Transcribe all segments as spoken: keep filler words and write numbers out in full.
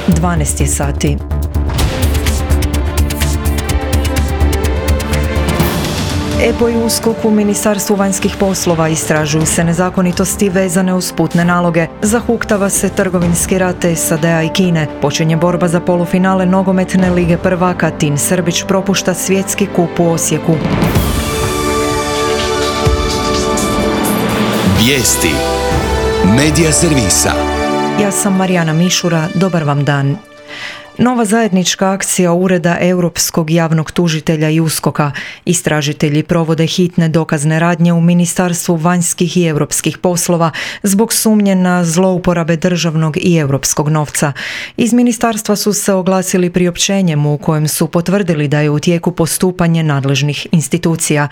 dvanaest je sati. E P O i USKOK u Ministarstvu vanjskih poslova istražuju se nezakonitosti vezane uz putne naloge. Zahuktava se trgovinski rat S A D-a i Kine. Počinje borba za polufinale nogometne lige prvaka. Tin Srbić propušta svjetski kup u Osijeku. Vijesti Medija servisa. Ja sam Marijana Mišura, dobar vam dan. Nova zajednička akcija Ureda Europskog javnog tužitelja i USKOK-a. Istražitelji provode hitne dokazne radnje u Ministarstvu vanjskih i europskih poslova zbog sumnje na zlouporabe državnog i europskog novca. Iz ministarstva su se oglasili priopćenjem u kojem su potvrdili da je u tijeku postupanje nadležnih institucija.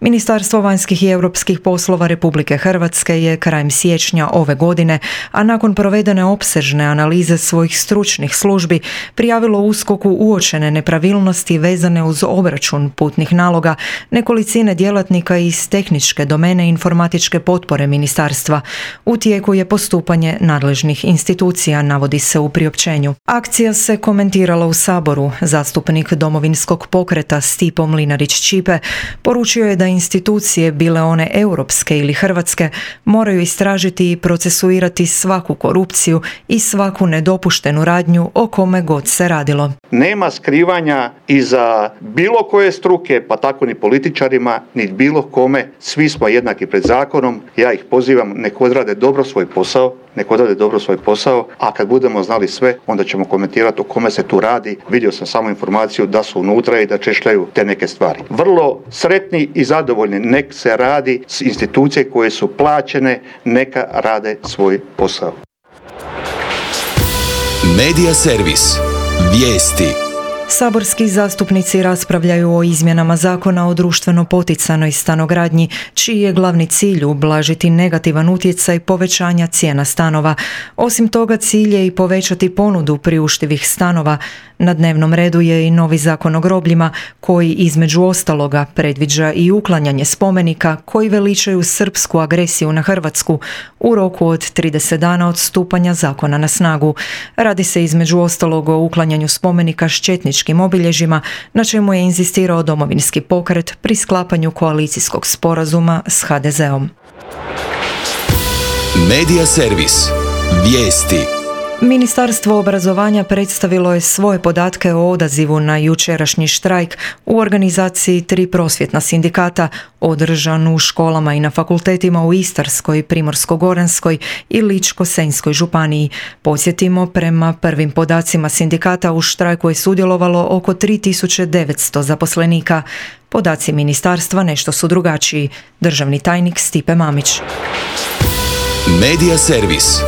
Ministarstvo vanjskih i europskih poslova Republike Hrvatske je krajem siječnja ove godine, a nakon provedene opsežne analize svojih stručnih službi, prijavilo USKOK-u uočene nepravilnosti vezane uz obračun putnih naloga nekolicine djelatnika iz tehničke domene informatičke potpore ministarstva. U tijeku je postupanje nadležnih institucija, navodi se u priopćenju. Akcija se komentirala u Saboru. Zastupnik Domovinskog pokreta Stipo Mlinarić-Ćipe poručio je da institucije, bile one europske ili hrvatske, moraju istražiti i procesuirati svaku korupciju i svaku nedopuštenu radnju o kome god se radilo. Nema skrivanja iza bilo koje struke, pa tako ni političarima, ni bilo kome. Svi smo jednaki pred zakonom. Ja ih pozivam, nek odrade dobro svoj posao, nek odrade dobro svoj posao, a kad budemo znali sve, onda ćemo komentirati o kome se tu radi. Vidio sam samo informaciju da su unutra i da češljaju te neke stvari. Vrlo sretni i zadovoljni, nek se radi s institucije koje su plaćene, neka rade svoj posao. Medija servis. Vijesti. Saborski zastupnici raspravljaju o izmjenama zakona o društveno poticanoj stanogradnji, čiji je glavni cilj ublažiti negativan utjecaj povećanja cijena stanova. Osim toga, cilj je i povećati ponudu priuštivih stanova. Na dnevnom redu je i novi zakon o grobljima, koji između ostaloga predviđa i uklanjanje spomenika koji veličaju srpsku agresiju na Hrvatsku u roku od trideset dana od stupanja zakona na snagu. Radi se između ostalog o uklanjanju spomenika s četničkim obilježjima, na čemu je inzistirao Domovinski pokret pri sklapanju koalicijskog sporazuma s ha de zeom. Medija servis. Vijesti. Ministarstvo obrazovanja predstavilo je svoje podatke o odazivu na jučerašnji štrajk u organizaciji tri prosvjetna sindikata održan u školama i na fakultetima u Istarskoj, Primorsko-goranskoj i Ličko-senjskoj županiji. Podsjetimo, prema prvim podacima sindikata u štrajku je sudjelovalo oko tri tisuće devetsto zaposlenika. Podaci ministarstva nešto su drugačiji. Državni tajnik Stipe Mamić. Medija servis.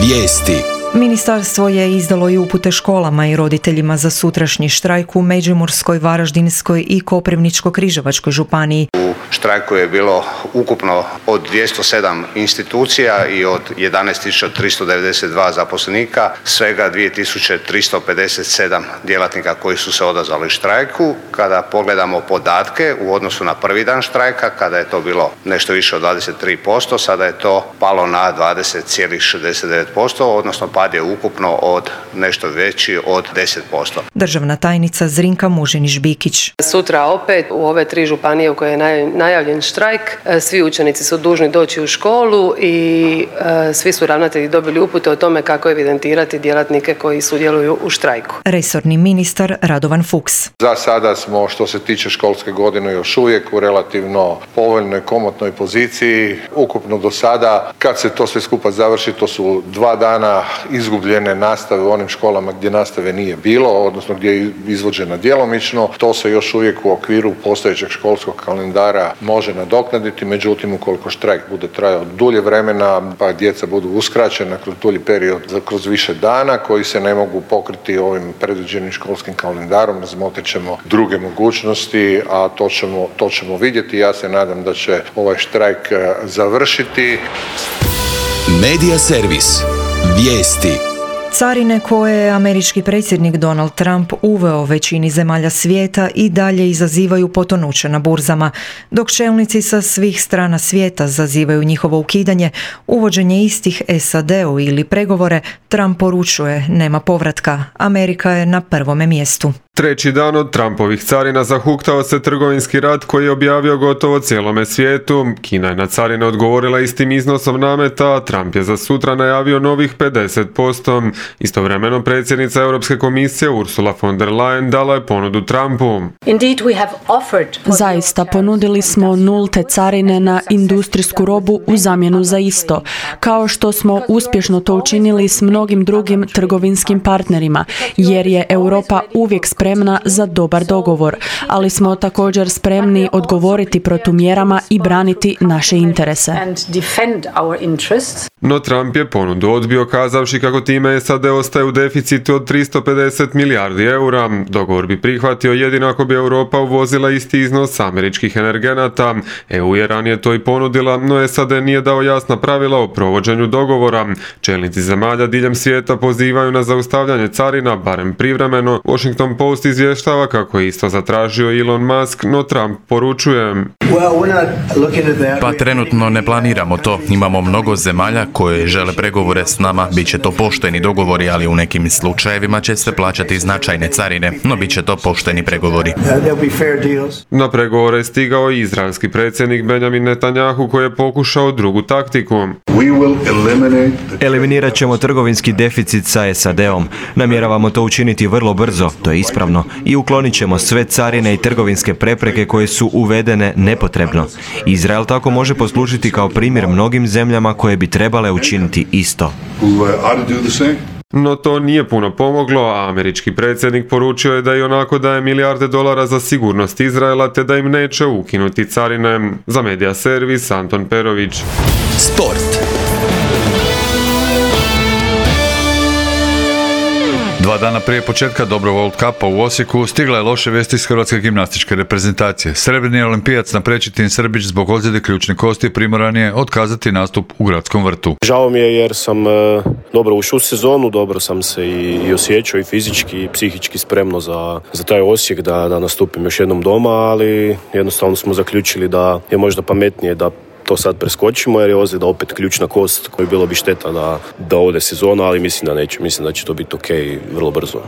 Vijesti. Ministarstvo je izdalo i upute školama i roditeljima za sutrašnji štrajk u Međimurskoj, Varaždinskoj i Koprivničko-križevačkoj županiji. U štrajku je bilo ukupno od dvjesto sedam institucija i od jedanaest tisuća tristo devedeset dva zaposlenika, svega dvije tisuće tristo pedeset sedam djelatnika koji su se odazvali štrajku. Kada pogledamo podatke u odnosu na prvi dan štrajka, kada je to bilo nešto više od dvadeset tri posto, sada je to palo na dvadeset zarez šezdeset devet posto, odnosno pad je ukupno od nešto veći od deset posto. Državna tajnica Zrinka Mužinić-Bikić. Sutra opet u ove tri županije u koje je najavljen štrajk, svi učenici su dužni doći u školu i e, svi su ravnatelji dobili upute o tome kako evidentirati djelatnike koji sudjeluju u štrajku. Resorni ministar Radovan Fuchs. Za sada smo, što se tiče školske godine, još uvijek u relativno povoljnoj, komotnoj poziciji. Ukupno do sada, kad se to sve skupa završi, to su dva dana izgubljene nastave u onim školama gdje nastave nije bilo, odnosno gdje je izvođena djelomično. To se još uvijek u okviru postojećeg školskog kalendara može nadoknaditi, međutim ukoliko štrajk bude trajao dulje vremena, pa djeca budu uskraćena kroz dulji period, kroz više dana koji se ne mogu pokriti ovim predviđenim školskim kalendarom, razmotrit ćemo druge mogućnosti, a to ćemo, to ćemo vidjeti. Ja se nadam da će ovaj štrajk završiti. Medija servis. Vijesti. Carine koje je američki predsjednik Donald Trump uveo većini zemalja svijeta i dalje izazivaju potonuće na burzama, dok čelnici sa svih strana svijeta zazivaju njihovo ukidanje, uvođenje istih S A D-u ili pregovore, Trump poručuje nema povratka, Amerika je na prvome mjestu. Treći dan od Trumpovih carina zahuktao se trgovinski rat koji je objavio gotovo cijelome svijetu. Kina je na carine odgovorila istim iznosom nameta, a Trump je za sutra najavio novih pedeset posto. Istovremeno predsjednica Europske komisije Ursula von der Leyen dala je ponudu Trumpu. Zaista ponudili smo nulte carine na industrijsku robu u zamjenu za isto, kao što smo uspješno to učinili s mnogim drugim trgovinskim partnerima, jer je Europa uvijek spremna za dobar dogovor, ali smo također spremni odgovoriti protumjerama i braniti naše interese. No Trump je ponudu odbio kazavši kako time S A D ostaje u deficitu od tristo pedeset milijardi eura. Dogovor bi prihvatio jedino ako bi Europa uvozila isti iznos američkih energenata. E U je ranije to i ponudila, no S A D nije dao jasna pravila o provođenju dogovora. Čelnici zemalja diljem svijeta pozivaju na zaustavljanje carina, barem privremeno. Washington Post izvještava kako je isto zatražio Elon Musk, no Trump poručuje: Pa trenutno ne planiramo to. Imamo mnogo zemalja koje žele pregovore s nama. Biće to pošteni dogovori, ali u nekim slučajevima će se plaćati značajne carine, no bit će to pošteni pregovori. Na pregovore je stigao i izraelski predsjednik Benjamin Netanjahu koji je pokušao drugu taktiku. Eliminirat ćemo trgovinski deficit sa S A D-om. Namjeravamo to učiniti vrlo brzo, to je ispravno, i uklonit ćemo sve carine i trgovinske prepreke koje su uvedene nepotrebno. Izrael tako može poslužiti kao primjer mnogim zemljama koje bi trebale učiniti isto. No to nije puno pomoglo, a američki predsjednik poručio je da i onako daje milijarde dolara za sigurnost Izraela te da im neće ukinuti carine. Za Media Servis, Anton Perović. Sport. Dva dana prije početka dobrog World Cupa u Osijeku stigla je loše vijesti iz hrvatske gimnastičke reprezentacije. Srebrni olimpijac Naprečitin Srbić zbog ozljede ključne kosti primoran je otkazati nastup u Gradskom vrtu. Žao mi je jer sam e, dobro ušao u sezonu, dobro sam se i, i osjećao i fizički i psihički spremno za, za taj Osijek da, da nastupim još jednom doma, ali jednostavno smo zaključili da je možda pametnije da to sad preskočimo jer je ozljeda opet ključna kost koju bilo bi šteta da, da ode sezona, ali mislim da neće, mislim da će to biti ok vrlo brzo.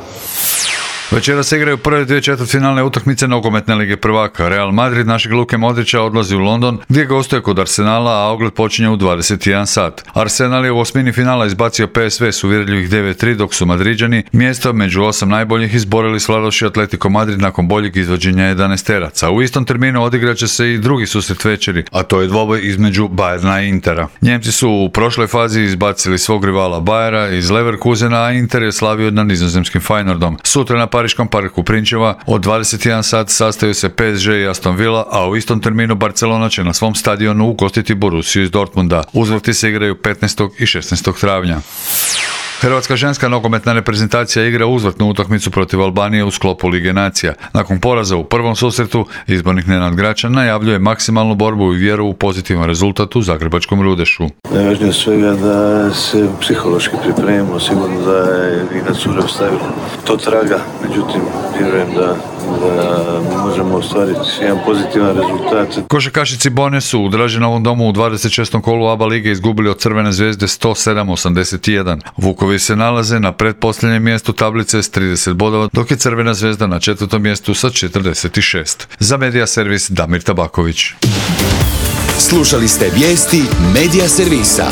Večeras se igraju prve dvije četvrtfinalne utakmice nogometne lige prvaka. Real Madrid našeg Luke Modrića odlazi u London gdje gostuje kod Arsenala, a ogled počinje u dvadeset jedan sat. Arsenal je u osmini finala izbacio P S V s uvjerljivih devet tri, dok su Madriđani mjesto među osam najboljih izborili s vladoši Atletico Madrid nakon boljeg izvođenja jedanaesteraca. U istom terminu odigrat će se i drugi susret večeri, a to je dvoboj između Bayerna i Intera. Njemci su u prošloj fazi izbacili svog rivala Bayera iz Leverkusena, a Inter je slavio nad nizozemskim Feyenoordom. Sutra na Pariškom parku Prinčeva od dvadeset jedan sat sastaju se P S G i Aston Villa, a u istom terminu Barcelona će na svom stadionu ugostiti Borussiju iz Dortmunda. Uzvrti se igraju petnaestog i šesnaestog travnja. Hrvatska ženska nogometna reprezentacija igra uzvratnu utakmicu protiv Albanije u sklopu Lige nacija. Nakon poraza u prvom susretu, izbornik Nenad Gračan najavljuje maksimalnu borbu i vjeru u pozitivan rezultat u zagrebačkom Rudešu. Najvažnije svega da se psihološki pripremimo, sigurno da je i na cure ostavili to traga, međutim vjerujem da da možemo ostvariti jedan pozitivan rezultat. Košarkašici Bone su u Draženovom domu u dvadeset šestom kolu A B A lige izgubili od Crvene zvezde sto sedam osamdeset jedan. Vukovi se nalaze na pretposljednjem mjestu tablice s trideset bodova, dok je Crvena zvezda na četvrtom mjestu sa četrdeset šest. Za Media Servis Damir Tabaković. Slušali ste vijesti Media Servisa.